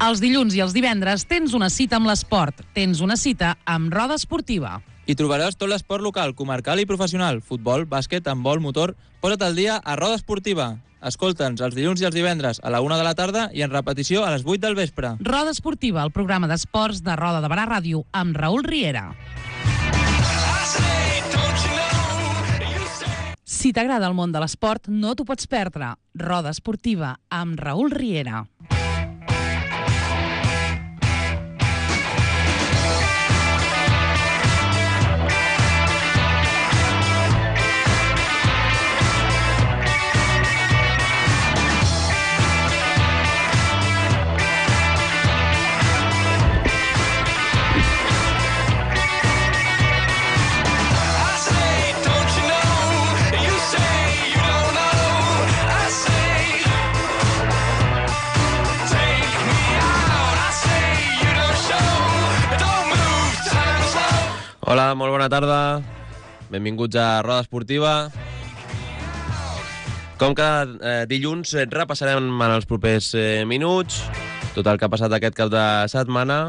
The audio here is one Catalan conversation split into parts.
Els dilluns i els divendres tens una cita amb l'esport. Tens una cita amb Roda Esportiva. Hi trobaràs tot l'esport local, comarcal i professional. Futbol, bàsquet, handbol, motor... Posa't al dia a Roda Esportiva. Escolta'ns els dilluns i els divendres a la 1 de la tarda i en repetició a les 8 del vespre. Roda Esportiva, el programa d'esports de Roda de Barà Ràdio, amb Raül Riera. Si t'agrada el món de l'esport, no t'ho pots perdre. Roda Esportiva, amb Raül Riera. Hola, molt bona tarda. Benvinguts a Roda Esportiva. Com cada dilluns repassarem en els propers minuts tot el que ha passat aquest cap de setmana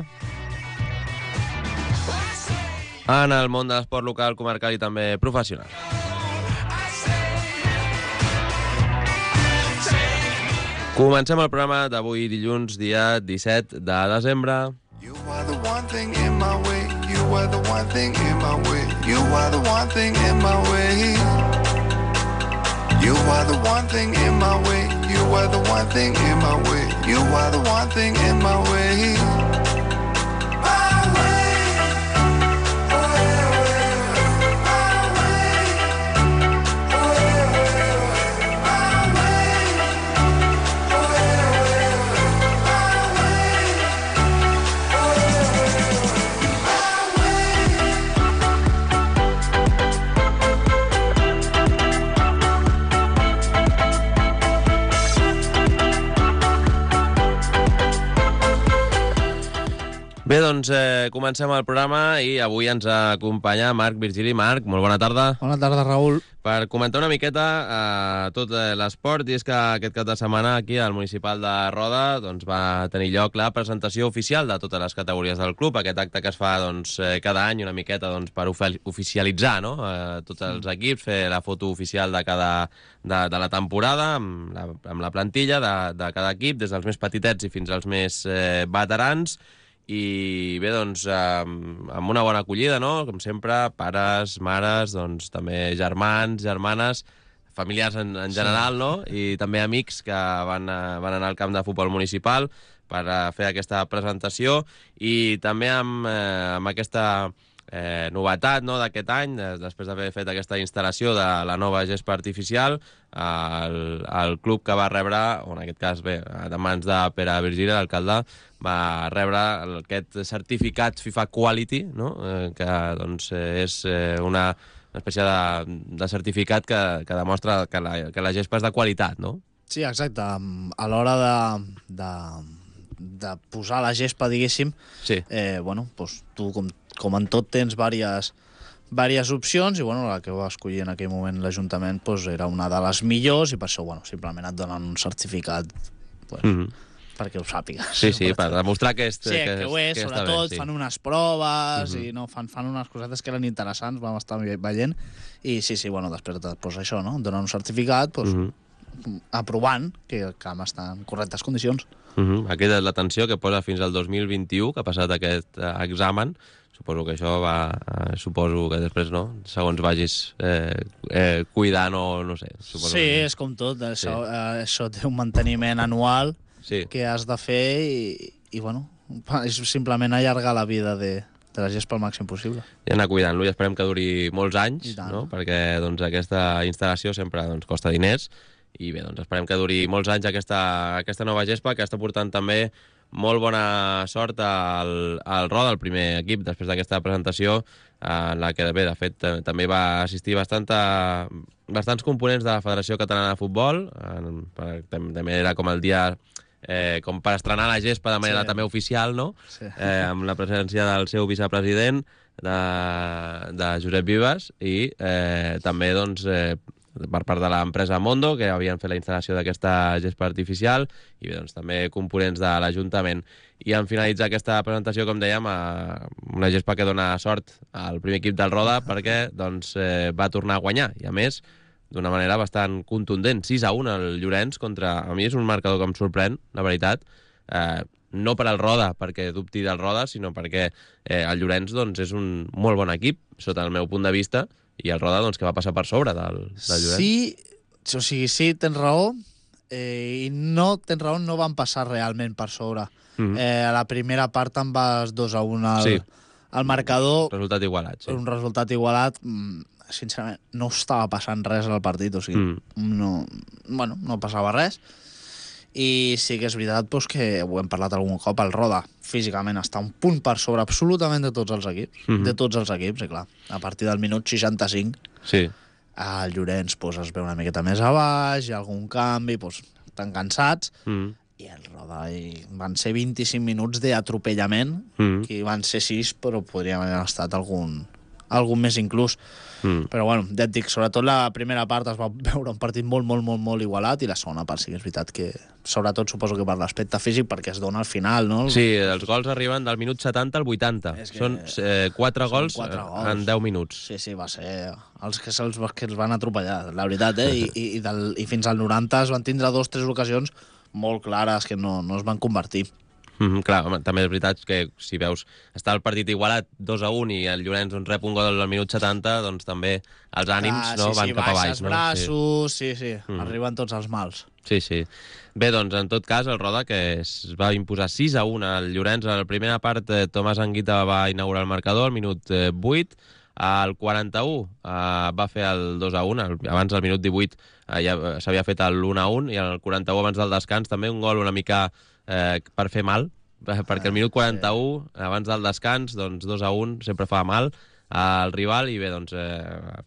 en el món de l'esport local, comarcal i també professional. Comencem el programa d'avui dilluns, dia 17 de desembre. You are the one thing in my way. You are the one thing in my way. You are the one thing in my way. You are the one thing in my way. You are the one thing in my way. You are the one thing in my way. Bé, doncs comencem el programa i avui ens acompanya Marc Virgili. Marc, molt bona tarda. Bona tarda, Raül. Per comentar una miqueta tot l'esport, i és que aquest cap de setmana aquí al Municipal de Roda doncs, va tenir lloc la presentació oficial de totes les categories del club, aquest acte que es fa doncs, cada any una miqueta doncs, per oficialitzar no? Tots els equips, fer la foto oficial de la temporada amb la plantilla de cada equip, des dels més petitets i fins als més veterans. I bé, doncs, amb una bona acollida, no? Com sempre, pares, mares, doncs, també germans, germanes, familiars en general, no? I també amics que van anar al camp de futbol municipal per fer aquesta presentació i també amb aquesta novetat no, d'aquest any, després d'haver fet aquesta instal·lació de la nova gespa artificial, el club que va rebre, o en aquest cas, bé, de mans de Pere Virgili, l'alcalde, va rebre aquest certificat FIFA Quality, no? Que doncs, és una espècie de certificat que demostra que la gespa és de qualitat, no? Sí, exacte. A l'hora de posar la gespa, diguéssim, sí. Bueno, doncs tu, com en tot, tens diverses opcions i bueno, la que va escollir en aquell moment l'Ajuntament doncs, era una de les millors i per això bueno, simplement et donen un certificat doncs, perquè ho sàpigues. Sí, sí, per demostrar que és... Sí, que ho és, sobretot, bé, sí. Fan unes proves i no, fan unes cosetes que eren interessants, vam estar veient i sí, bueno, després doncs, això, no? Donen un certificat doncs, aprovant que el camp està en correctes condicions. Aquesta és l'atenció que posa fins al 2021, que ha passat aquest examen. Suposo que això suposo que després, no? Segons vagis cuidant o no sé. Sí, és com tot. Això té un manteniment anual que has de fer i bueno, és simplement allargar la vida de la gespa al màxim possible. I anar cuidant-lo i esperem que duri molts anys, no? Perquè doncs, aquesta instal·lació sempre doncs, costa diners i bé, doncs esperem que duri molts anys aquesta nova gespa, que està portant també molt bona sort al Roda, el primer equip, després d'aquesta presentació, en la que, bé, de fet, també va assistir bastants components de la Federació Catalana de Futbol, també era com el dia com per estrenar la gespa de manera també oficial, no? Sí. Amb la presència del seu vicepresident, de Josep Vives, i també, doncs, per part de l'empresa Mondo, que havien fet la instal·lació d'aquesta gespa artificial, i bé, doncs, també components de l'Ajuntament. I en finalitzar aquesta presentació, com dèiem, una gespa que dona sort al primer equip del Roda perquè doncs, va tornar a guanyar, i a més d'una manera bastant contundent, 6-1 el Llorenç contra... A mi és un marcador que em sorprèn, la veritat, no per al Roda, perquè dubti del Roda, sinó perquè el Llorenç doncs, és un molt bon equip, sota el meu punt de vista, i el Roda doncs, que va passar per sobre del Llorenç. Sí, o sigui, sí, tens raó, i no tens raó, no van passar realment per sobre. A la primera part en vas 2-1 al marcador. Resultat igualat, sí. Un resultat igualat, sincerament, no estava passant res al partit, o sigui, no passava res. I sí que és veritat doncs, que ho hem parlat algun cop, el Roda físicament està un punt per sobre absolutament de tots els equips, de tots els equips, i clar, a partir del minut 65 el Llorenç doncs, es veu una miqueta més a baix, hi ha algun canvi, doncs, estan cansats, i el Roda van ser 25 minuts d'atropellament, que van ser 6, però podrien haver estat algun més inclús. Però bueno, ja et dic, sobretot la primera part es va veure un partit molt igualat, i la segona part sí que és veritat que, sobretot suposo que per l'aspecte físic, perquè es dona al final, no? Sí, els gols arriben del minut 70 al 80. Són 4 gols en 10 minuts. Sí, va ser els que els van atropellar, la veritat, i fins al 90 es van tindre 2 o 3 ocasions molt clares que no es van convertir. Clar, home, també és veritat que si veus està el partit igualat 2-1 i el Llorenç rep un gol al minut 70, doncs també els ànims van cap a baix. Els braços, sí. Arriben tots els mals. Sí. Bé, doncs, en tot cas, el Roda, que es va imposar 6-1 al Llorenç. A la primera part, Tomàs Anguita va inaugurar el marcador al minut 8. Al 41 va fer el 2-1. Abans del minut 18 ja s'havia fet l'1-1, i al 41, abans del descans, també un gol una mica per fer mal, perquè al minut 41, abans del descans, doncs 2-1 sempre fa mal al rival, i bé, doncs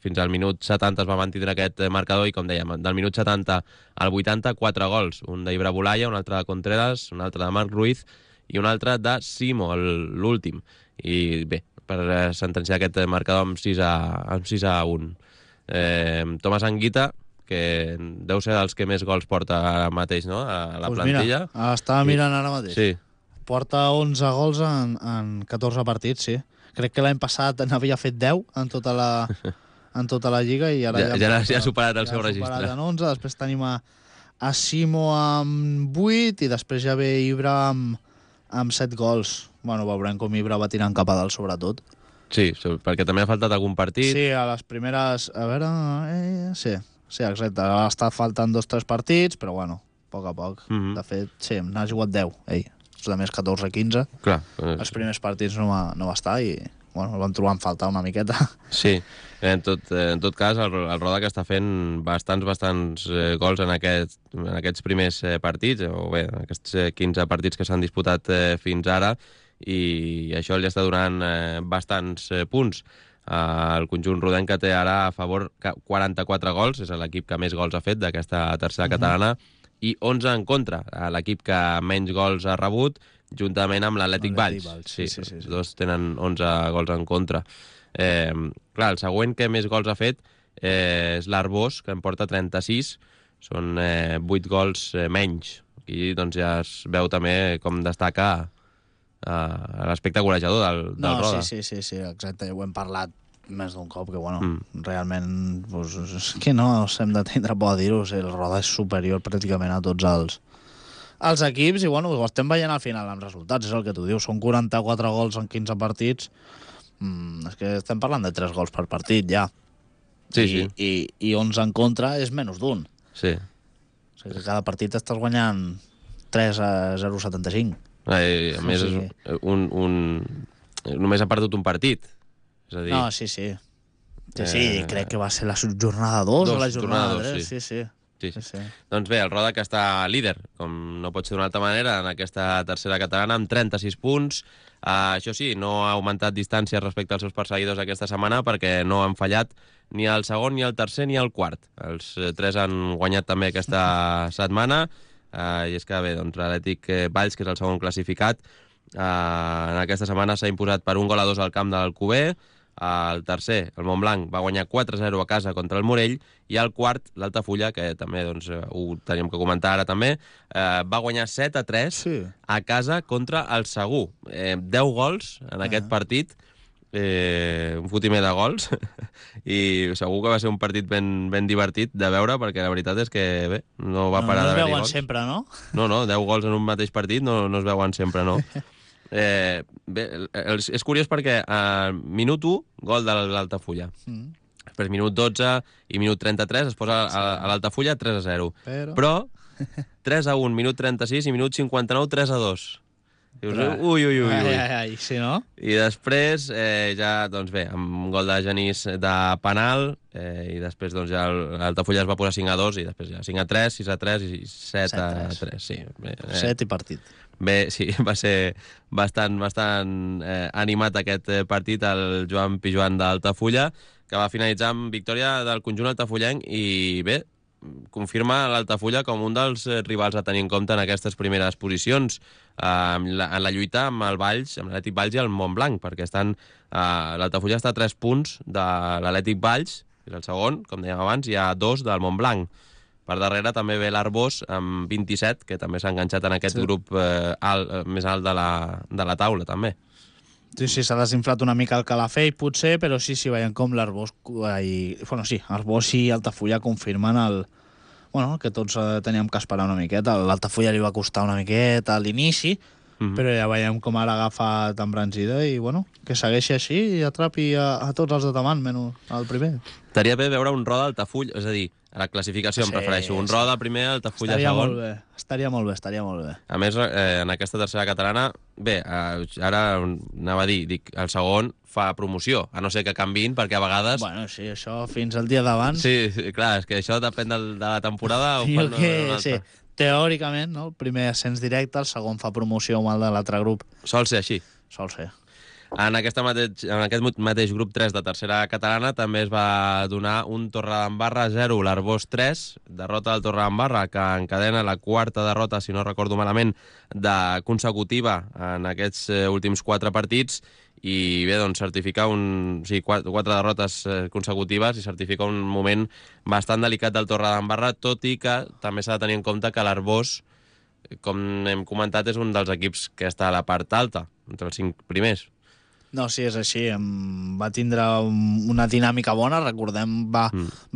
fins al minut 70 es va mantenir aquest marcador, i com dèiem, del minut 70 al 80, 4 gols, un d'Ibra Bolaya, un altre de Contreras, un altre de Marc Ruiz i un altre de Simo, l'últim. I bé, per sentenciar aquest marcador amb 6-1. Tomàs Anguita, que deu ser dels que més gols porta ara mateix, no?, a la plantilla. Mira, estava mirant ara mateix. Sí. Porta 11 gols en 14 partits, sí. Crec que l'any passat n'havia fet 10 en tota la Lliga, i ara ja ha superat el seu registre. Ja ha superat en 11, després tenim a Simo amb 8, i després ja ve Ibra amb 7 gols. Bueno, veurem com Ibra va tirant cap a dalt, sobretot. Sí, perquè també ha faltat algun partit. Sí, a les primeres... A veure... Sí, exacte. Ha estat faltant 2 o 3 partits, però bueno, a poc a poc. De fet, sí, n'ha jugat 10, ell. Els altres 14-15. Clar. Els primers partits no va estar, i bueno, el vam trobar en falta una miqueta. Sí, en tot cas, el Roda que està fent bastants gols en aquests primers partits, o bé, en aquests 15 partits que s'han disputat fins ara, i això li està donant bastants punts. El conjunt rodenc, que té ara a favor 44 gols, és l'equip que més gols ha fet d'aquesta tercera catalana, i 11 en contra, l'equip que menys gols ha rebut, juntament amb l'Atlètic Valls. Sí. Els dos tenen 11 gols en contra. Clar, el següent que més gols ha fet és l'Arbós, que en porta 36, són 8 gols menys. Aquí doncs, ja es veu també com destaca l'aspecte golejador del Roda. Sí, exacte, ho hem parlat més d'un cop, que bueno, realment pues, és que no hem de tindre por a dir-ho, el Roda és superior pràcticament a tots els equips, i bueno, ho estem veient al final amb resultats, és el que tu dius, són 44 gols en 15 partits, és que estem parlant de 3 gols per partit ja. Sí. I 11 en contra és menys d'un. Sí. O sigui que cada partit estàs guanyant 3-0-75. A més, només ha perdut un partit. És a dir... No, sí. Sí, crec que va ser la jornada 2 o la jornada 3. Sí. Doncs bé, el Roda, que està líder, com no pot ser d'una altra manera, en aquesta tercera catalana, amb 36 punts. Això sí, no ha augmentat distància respecte als seus perseguidors aquesta setmana, perquè no han fallat ni el segon, ni el tercer, ni el quart. Els 3 han guanyat també aquesta setmana, i és que bé, doncs l'Atlètic Valls, que és el segon classificat, en aquesta setmana s'ha imposat per 1-2 al camp de l'Alcover. El tercer, el Montblanc, va guanyar 4-0 a casa contra el Morell, i el quart, l'Altafulla, que també doncs, ho teníem que comentar ara també, va guanyar 7-3 a casa contra el Segur. 10 gols en aquest partit, un fotimer de gols, i segur que va ser un partit ben divertit de veure, perquè la veritat és que, bé, no va parar d'haver-hi gols. No es veuen sempre, no? No, 10 gols en un mateix partit no es veuen sempre, no. Bé, és curiós perquè al minut 1, gol de l'Altafulla. Després minut 12 i minut 33 es posa a l'Altafulla 3-0. Però 3-1, minut 36 i minut 59, 3-2. Dius, ui. Sí, no? I després, ja, doncs bé, amb un gol de Genís de penal, i després doncs, ja l'Altafulla es va posar 5-2, i després ja 5-3, 6-3 i 7-3. Sí, 7 i partit. Bé, sí, va ser bastant animat aquest partit, el Joan Pijuan d'Altafulla, que va finalitzar amb victòria del conjunt altafullenc i, bé, confirma l'Altafulla com un dels rivals a tenir en compte en aquestes primeres posicions, en la lluita amb el Valls, amb l'Atlètic Valls i el Montblanc, perquè l'Altafulla està a 3 punts de l'Atlètic Valls, que és el segon, com dèiem abans, i a 2 del Montblanc. Per darrere també ve l'Arbós amb 27, que també s'ha enganxat en aquest grup més alt de la taula, també. Sí, s'ha desinflat una mica el Calafell, potser, però sí, veiem com l'Arbós... Arbós i Altafulla confirmen el que tots teníem que esperar una miqueta. L'Altafulla li va costar una miqueta a l'inici, però ja veiem com ara agafa tan embranzida i, que segueixi així i atrapi a tots els de davant, menys el primer. Estaria bé veure un Roda Altafulla, és a dir, a la classificació em prefereixo. Un Roda primer, Altafulla segon. Estaria molt bé. A més, en aquesta tercera catalana, bé, ara anava a dir, el segon fa promoció, a no ser que canviïn, perquè a vegades... Bueno, sí, això fins al dia d'abans... Sí, clar, és que això depèn de la temporada... Sí, teòricament, no? El primer ascens directe, el segon fa promoció amb el de l'altre grup. Sol ser així. Sol ser. En aquest mateix grup 3 de tercera catalana també es va donar un Torredembarra 0, l'Arbós 3, derrota del Torredembarra, que encadena la quarta derrota, si no recordo malament, consecutiva en aquests últims 4 partits, i bé, doncs certifica 4 derrotes consecutives i certifica un moment bastant delicat del Torredembarra, tot i que també s'ha de tenir en compte que l'Arbós, com hem comentat, és un dels equips que està a la part alta, entre els 5 primers. No, sí, és així. Va tindre una dinàmica bona, recordem, va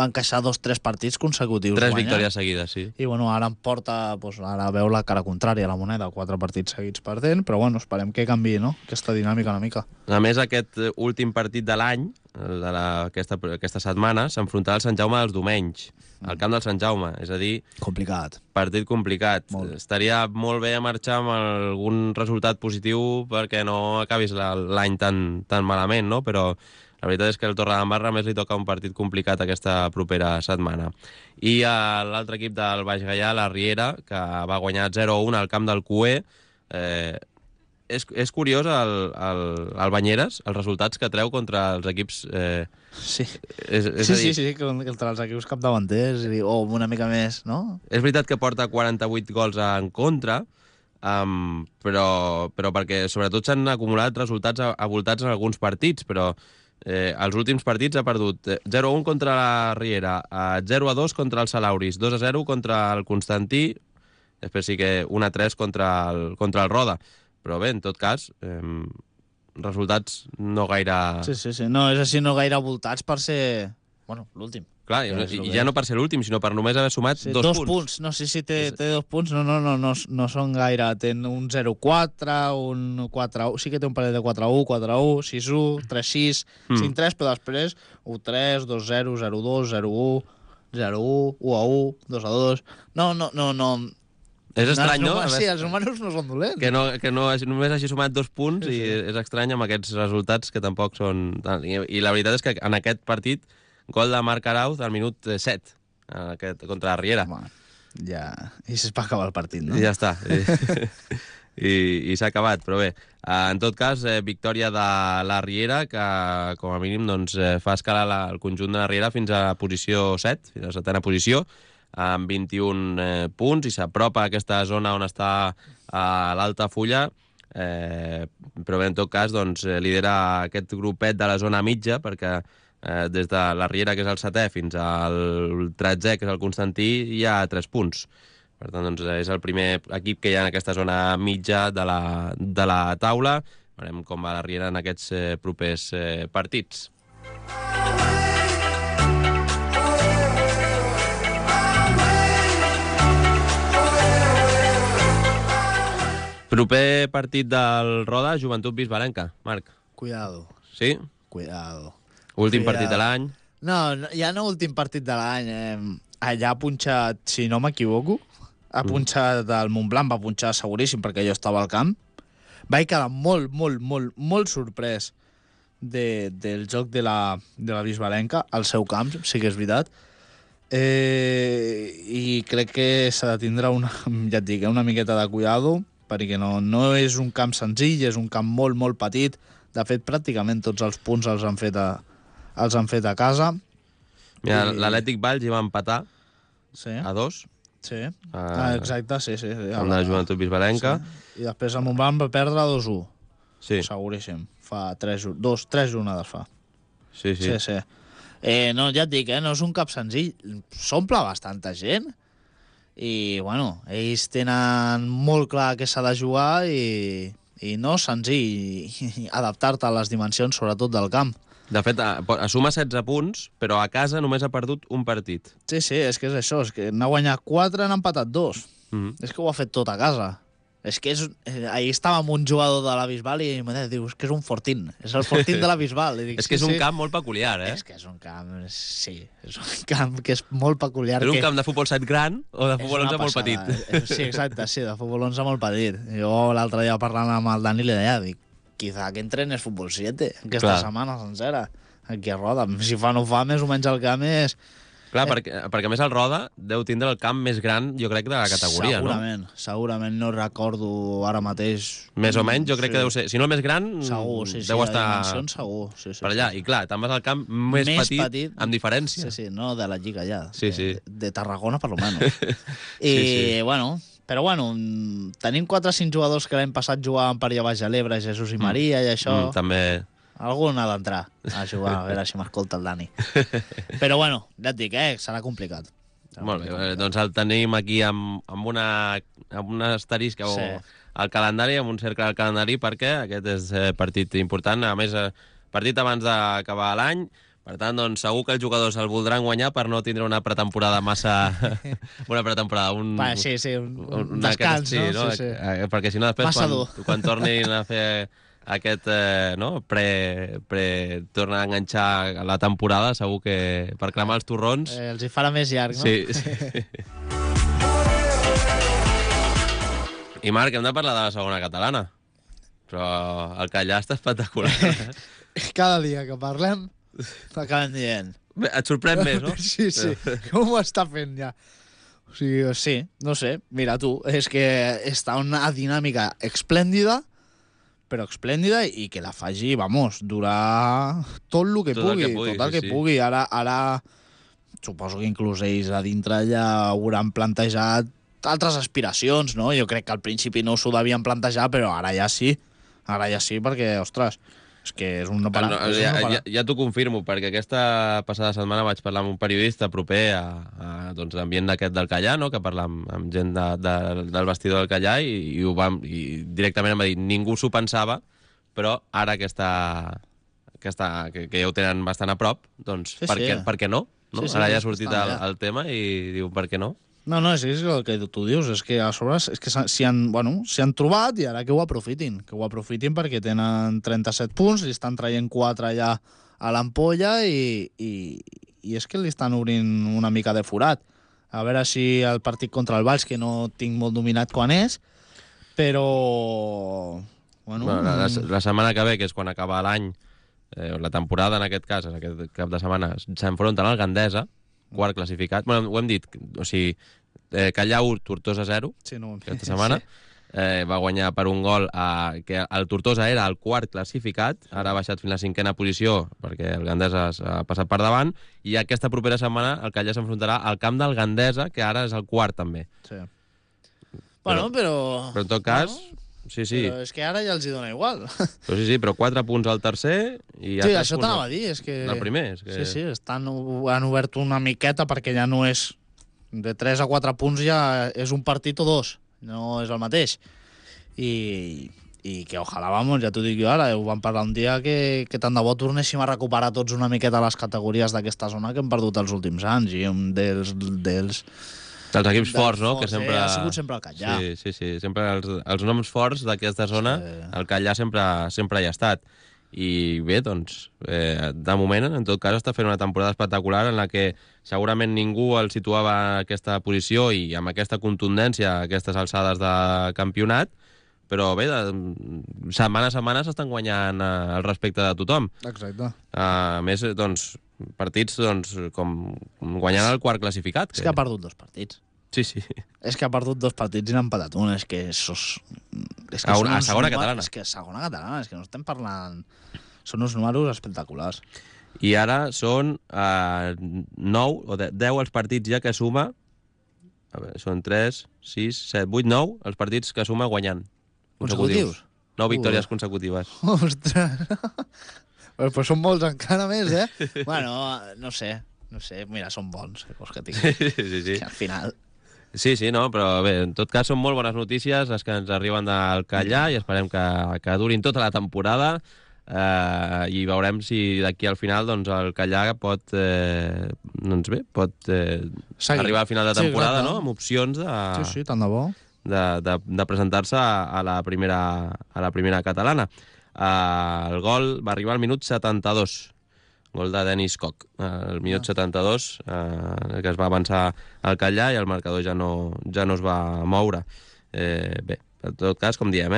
encaixar 2-3 partits consecutius. 3 victòries seguides, sí. I ara em porta, ara veu la cara contrària a la moneda, 4 partits seguits perdent, però esperem que canviï, no?, aquesta dinàmica una mica. A més, aquest últim partit de l'any, aquesta setmana, s'enfrontarà al Sant Jaume dels Domenys, al camp del Sant Jaume, és a dir... Complicat. Partit complicat. Estaria molt bé marxar amb algun resultat positiu perquè no acabis l'any tan malament, no? Però la veritat és que el Torredembarra més li toca un partit complicat aquesta propera setmana. I l'altre equip del Baix Gaià, la Riera, que va guanyar 0-1 al camp del Cué. És curiós el Banyeres, els resultats que treu contra els equips... Sí, contra els equips capdavanters, o una mica més, no? És veritat que porta 48 gols en contra, però perquè sobretot s'han acumulat resultats avoltats en alguns partits, però els últims partits ha perdut 0-1 contra la Riera, 0-2 contra el Salauris, 2-0 contra el Constantí, després sí que 1-3 contra el Roda. Però bé, en tot cas, resultats no gaire... Sí, no, és així, no gaire voltats per ser... l'últim. Clar, i ja no per ser l'últim, sinó per només haver sumat 2 punts. No, sí, té 2 punts, no són gaire. Ten un 0-4, un 4-1, sí que té un parell de 4-1, 4-1, 6-1, 3-6, 5-3, però després 1-3, 2-0, 0-2, 0-1, 0-1, 1-1, 2-2... No... És estrany, no? Sí, els números no són dolents. Que només hagi sumat 2 punts i és estrany amb aquests resultats que tampoc són... I la veritat és que en aquest partit, gol de Marc Arauz al minut 7 contra la Riera. Ja, i es va acabar el partit, no? I ja està. I s'ha acabat, però bé. En tot cas, victòria de la Riera, que com a mínim fa escalar el conjunt de la Riera fins a posició 7, fins a la 7ª posició, amb 21 punts, i s'apropa a aquesta zona on està l'Altafulla, però bé, en tot cas, doncs, lidera aquest grupet de la zona mitja, perquè des de la Riera, que és el 7è, fins al 13è, que és el Constantí, hi ha 3 punts. Per tant, doncs, és el primer equip que hi ha en aquesta zona mitja de la taula. Veurem com va la Riera en aquests propers partits. Proper partit del Roda, Joventut Bisbalenca. Marc. Cuidado. Sí? Cuidado. Últim partit de l'any. No, ja no últim partit de l'any. Allà ha punxat, si no m'equivoco, ha punxat el Montblanc, va punxar seguríssim perquè jo estava al camp. Vaig quedar molt sorprès del joc de la Bisbalenca al seu camp, sí que és veritat. I crec que s'ha de tindre ja et dic, una miqueta de cuidado, perquè no és un camp senzill, és un camp molt petit. De fet, pràcticament tots els punts els han fet a casa. Mira, l'Atlètic Valls hi va empatar a 2. Sí, exacte, sí. Amb la Joventut Bisbalenca. Sí. I després el Montblanc va perdre 2-1. Sí. Seguríssim. Fa 3 jornades fa. Sí. No, ja et dic, no és un cap senzill. S'omple bastanta gent i, bueno, ells tenen molt clar que s'ha de jugar i no és senzill adaptar-te a les dimensions, sobretot del camp. De fet, suma 16 punts, però a casa només ha perdut un partit. Sí, és que és això, és que n'ha guanyat 4, n'ha empatat 2. És que ho ha fet tot a casa. És que ahir estava amb un jugador de la Bisbal i em diu, és que és un Fortín, és el Fortín de la Bisbal. I dic, és que és un camp molt peculiar, És que és un camp, sí, és un camp que és molt peculiar. És un camp de futbol 7 gran o de futbol 11 molt petit? Sí, exacte, sí, de futbol 11 molt petit. Jo l'altre dia parlant amb el Dani li deia, dic, quizá que entrenes futbol 7 aquesta setmana sencera, aquí a Roda. Si fa no fa, més o menys el camp és... Clar, perquè a més el Roda deu tindre el camp més gran, jo crec, de la categoria, Segurament, no recordo ara mateix... Més o menys, jo crec que deu ser... Si no el més gran, segur, deu estar... Segur, per allà. I clar, te'n vas al camp més petit, amb diferència. Sí, no de la Lliga ja. Sí. De Tarragona, per lo menos. Bueno... Però, bueno, tenim 4 o 5 jugadors que l'any passat jugaven per allà baix a l'Ebre, Jesús i Maria, i això... També... Algun ha d'entrar a jugar, a veure si m'escolta el Dani. Però, bueno, ja et dic, serà complicat. Molt bé, doncs el tenim aquí amb un asterisc al calendari, amb un cercle al calendari, perquè aquest és partit important. A més, partit abans d'acabar l'any. Per tant, doncs, segur que els jugadors el voldran guanyar per no tindre una pretemporada massa... un descans, no? Sí. Perquè si no, després, quan tornin a fer aquest, tornar a enganxar la temporada, segur que per cremar els torrons... Els hi farà més llarg, no? Sí. I Marc, hem de parlar de la segona catalana. Però el Callà està espectacular. Cada dia que parlem... T'acaben dient. Bé, et sorprèn més, no? Sí. Com ho està fent ja? O sigui, sí, no sé. Mira tu, és que està una dinàmica esplèndida, però esplèndida i que la faci, vamos, durar tot el que pugui. Ara suposo que inclús ells a dintre ja hauran plantejat altres aspiracions, no? Jo crec que al principi no s'ho devien plantejar, però ara ja sí. Ara ja sí, perquè, ostres... És que és un no parar. Ja t'ho confirmo, perquè aquesta passada setmana vaig parlar amb un periodista proper a l'ambient aquest del Callà, no? Que parla amb gent del vestidor del Callà i directament em va dir ningú s'ho pensava, però ara que ja ho tenen bastant a prop, doncs per què no? Ara ja ha sortit el tema i diu per què no? No, és el que tu dius, és que a sobre s'hi han trobat i ara que ho aprofitin perquè tenen 37 punts, li estan traient 4 allà a l'ampolla i és que li estan obrint una mica de forat. A veure si el partit contra el Valls, que no tinc molt dominat quan és, però... La setmana que ve, que és quan acaba l'any, la temporada en aquest cas, en aquest cap de setmana, s'enfronten al Gandesa, quart classificat. Bueno, ho hem dit, o sigui, Callà 1, Tortosa 0, aquesta setmana. Va guanyar per un gol, que el Tortosa era el quart classificat, ara ha baixat fins a la 5a posició, perquè el Gandesa s'ha passat per davant, i aquesta propera setmana el Callà s'enfrontarà al camp del Gandesa, que ara és el quart també. Sí. Però en tot cas... Sí, sí. Però és que ara ja els hi dona igual. Però sí, però 4 punts al tercer i ja Sí, 3 això punts t'anava a dir, és que... del primer. És que... Sí, han obert una miqueta perquè ja no és... De 3 a 4 punts ja és un partit o dos, no és el mateix. I que ojalà, vamos, ja t'ho dic jo ara, ho vam parlar un dia que tant de bo tornéssim a recuperar tots una miqueta les categories d'aquesta zona que hem perdut els últims anys, i un dels Els equips forts, no? Que sempre... ha sigut sempre el Catllà. Sí. Sempre els noms forts d'aquesta zona, el Catllà sempre hi ha estat. I bé, doncs, de moment, en tot cas, està fent una temporada espectacular en la que segurament ningú el situava en aquesta posició i amb aquesta contundència, aquestes alçades de campionat, però bé, setmana a setmana s'estan guanyant el respecte de tothom. Exacte. A més, doncs, partits com guanyant el quart classificat. És que ha perdut 2 partits. Sí. És que ha perdut 2 partits i n'ha empatat un. És que a segona catalana. És que a segona catalana, és que no estem parlant... Són uns números espectaculars. I ara són 9 o 10 els partits ja que suma... A veure, són 3, 6, 7, 8, 9 els partits que suma guanyant. Consecutius? 9 victòries consecutives. Ostres! Però són molts encara més, eh? Bueno, no sé. Mira, són bons, que vols que tinc. Sí. Que al final... Sí, no, però bé, en tot cas són molt bones notícies les que ens arriben del Catllà i esperem que durin tota la temporada i veurem si d'aquí al final doncs, el Catllà pot arribar al final de temporada, no? Amb opcions de... Sí, tant de bo. De presentar-se a la primera catalana. El gol va arribar al minut 72, gol de Denis Koch, el minut 72, que es va avançar al Catllà i el marcador ja no es va moure. Bé, en tot cas, com diem,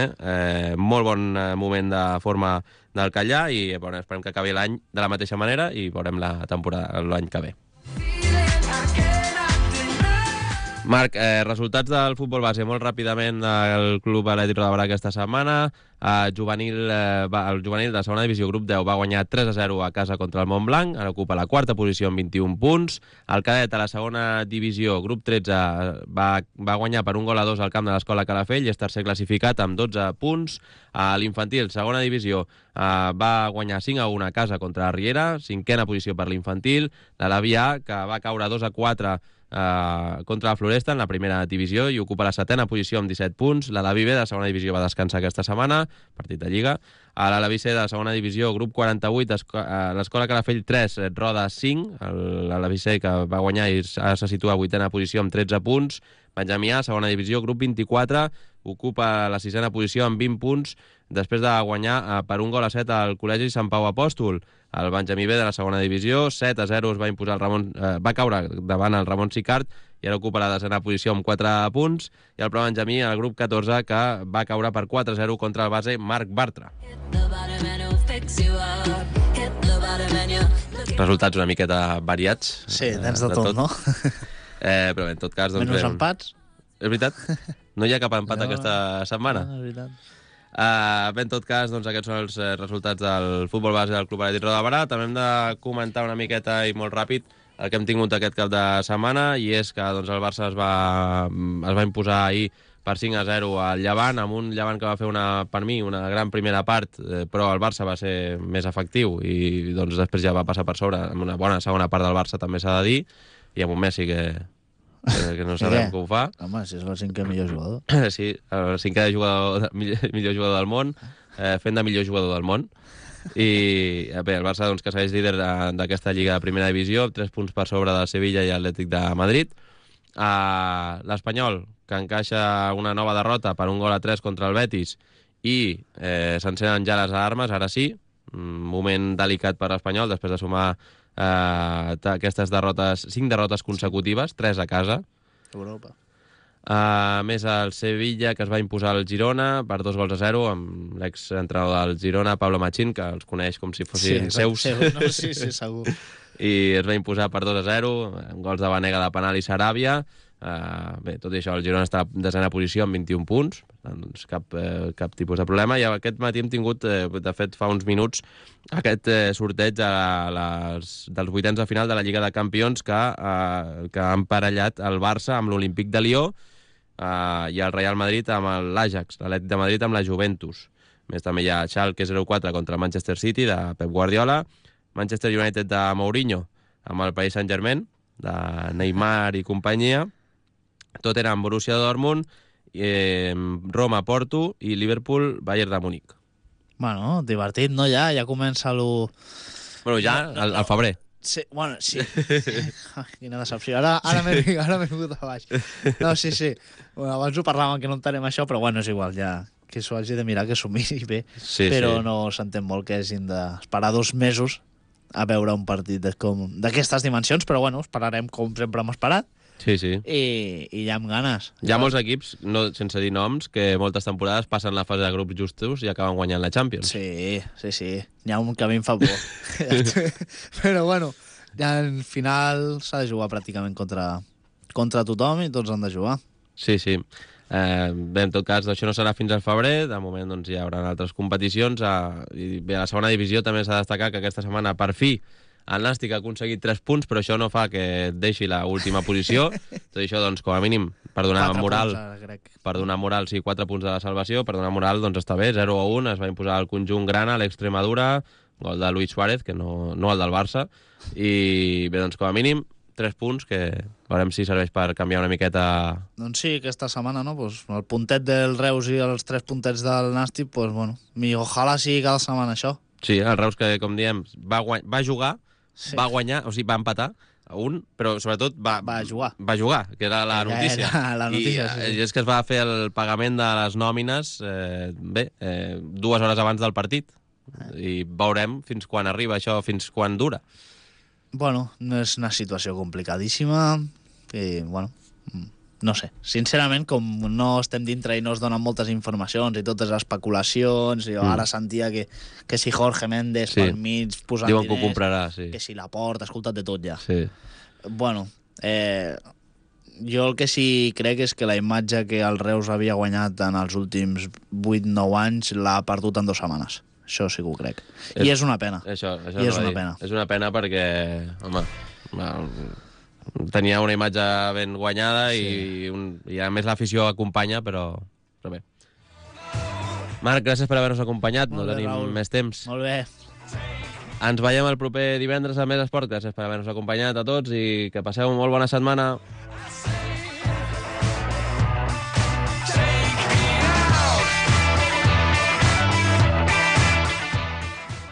molt bon moment de forma del Catllà i esperem que acabi l'any de la mateixa manera i veurem la temporada l'any que ve. Marc, resultats del futbol base molt ràpidament del Club Atlètic Roda Barà aquesta setmana. El juvenil de segona divisió, grup 10, va guanyar 3-0 a casa contra el Montblanc, ara ocupa la quarta posició amb 21 punts. El cadet a la segona divisió, grup 13, va guanyar per 1-2 al camp de l'Escola Calafell i és tercer classificat amb 12 punts. L'infantil, segona divisió, va guanyar 5-1 a casa contra la Riera, cinquena posició per l'infantil. L'Alavià, que va caure 2-4 contra la Floresta en la primera divisió i ocupa la setena posició amb 17 punts. L'Alaví B de segona divisió va descansar aquesta setmana, partit de Lliga. A l'Alaví C de segona divisió, grup 48, l'Escola Calafell 3, Roda 5. L'Alaví C que va guanyar i se situa a vuitena posició amb 13 punts. Benjamí A, segona divisió, grup 24, ocupa la sisena posició amb 20 punts després de guanyar per 1-7 al Col·legi Sant Pau Apòstol. El Benjamí B de la segona divisió, 7-0 es va imposar va caure davant el Ramon Sicart i ara ocupa la desena posició amb 4 punts. I el Pro Benjamí, el grup 14, que va caure per 4-0 contra el base Marc Bartra. Resultats una miqueta variats. Sí, tens de tot, no? Però en tot cas... Doncs, menys empats. És veritat? No hi ha cap empat aquesta setmana? No, és veritat. Bé, en tot cas, doncs, aquests són els resultats del futbol base del Club Atlètic Roda Barà. També hem de comentar una miqueta i molt ràpid el que hem tingut aquest cap de setmana, i és que doncs, el Barça es va imposar ahir per 5-0 al Llevant, amb un Llevant que va fer per mi una gran primera part, però el Barça va ser més efectiu i doncs, després ja va passar per sobre amb una bona segona part del Barça, també s'ha de dir, i amb un Messi que no sabem com ho fa. Home, si és el cinquè millor jugador. Sí, el cinquè millor jugador del món, fent de millor jugador del món. I bé, el Barça, doncs, que segueix líder d'aquesta Lliga de Primera Divisió, 3 punts per sobre del Sevilla i Atlètic de Madrid. L'Espanyol, que encaixa una nova derrota per 1-3 contra el Betis i s'encenen ja les alarmes, ara sí, un moment delicat per l'Espanyol després de sumar aquestes derrotes, 5 derrotes consecutives, 3 a casa. Europa. Més el Sevilla, que es va imposar al Girona per 2-0 amb l'exentrenador del Girona, Pablo Machín, que els coneix com si fossin seus. No, sí, segur. I es va imposar per 2-0 amb gols de Banega de penal i Saràbia. Bé, tot i això, el Girona està a desena posició amb 21 punts, per tant, doncs cap tipus de problema. I aquest matí hem tingut, de fet, fa uns minuts, aquest sorteig dels vuitens de final de la Lliga de Campions que ha emparellat el Barça amb l'Olímpic de Lió, i el Real Madrid amb l'Ajax, l'Atlètic de Madrid amb la Juventus. Més també hi ha Schalke 04 contra el Manchester City de Pep Guardiola, Manchester United de Mourinho amb el Paris Saint-Germain, de Neymar i companyia, Tottenham Borussia Dortmund, Roma Porto i Liverpool Bayern de Múnich. Bueno, divertit, no? Ja comença lo... Bueno, ja al febrer. Sí, bueno, sí. Ai, quina decepció. Ara m'he vingut a baix. No, sí. Bueno, abans ho parlàvem que no entenem això, però bueno, és igual, ja que s'ho hagi de mirar, que s'ho miri bé. Sí, però sí. no s'entén molt que hagin d'esperar 2 mesos a veure un partit d'aquestes dimensions, però bueno, esperarem com sempre hem esperat. Sí. I ja amb ganes. Hi ha molts equips, no, sense dir noms, que moltes temporades passen la fase de grups justos i acaben guanyant la Champions. Sí. N'hi ha un que a mi em fa por. Però bueno, ja al final s'ha de jugar pràcticament contra tothom i tots han de jugar. Sí. Bé, en tot cas, això no serà fins al febrer. De moment doncs, hi haurà altres competicions. I bé, a la segona divisió també s'ha de destacar que aquesta setmana, per fi, el Nàstic ha aconseguit 3 punts, però això no fa que et deixi l'última posició. Tot això, doncs, com a mínim, per donar moral, sí, 4 punts de la salvació, per donar moral, doncs està bé, 0-1, es va imposar el conjunt grana, l'Extremadura, gol de Luis Suárez, que no el del Barça, i bé, doncs, com a mínim, 3 punts, que veurem si serveix per canviar una miqueta... Doncs sí, aquesta setmana, no? Pues el puntet del Reus i els 3 puntets del Nàstic, pues bueno, ojalà sigui cada setmana això. Sí, el Reus, que com diem, va jugar, sí. Va guanyar, o sigui, va empatar a 1, però sobretot va jugar, que era la notícia. Era la notícia, I és que es va fer el pagament de les nòmines 2 hores abans del partit. I veurem fins quan arriba això, fins quan dura. Bueno, no és una situació complicadíssima i, bueno, no sé. Sincerament, com no estem dintre i no es donen moltes informacions i totes les especulacions, i ara sentia que si Jorge Méndez pel mig posant diuen diners... que ho comprarà, sí. Que si Laporta, escolta't de tot ja. Sí. Bueno, jo el que sí crec és que la imatge que el Reus havia guanyat en els últims 8-9 anys l'ha perdut en 2 setmanes. Això sí que ho crec. I és una pena. Això I és una pena. És una pena perquè, home, tenia una imatge ben guanyada i a més l'afició acompanya, però bé. Marc, gràcies per haver-nos acompanyat. No tenim més temps. Molt bé. Ens veiem el proper divendres a Més Esport. Gràcies per haver-nos acompanyat a tots i que passeu una molt bona setmana.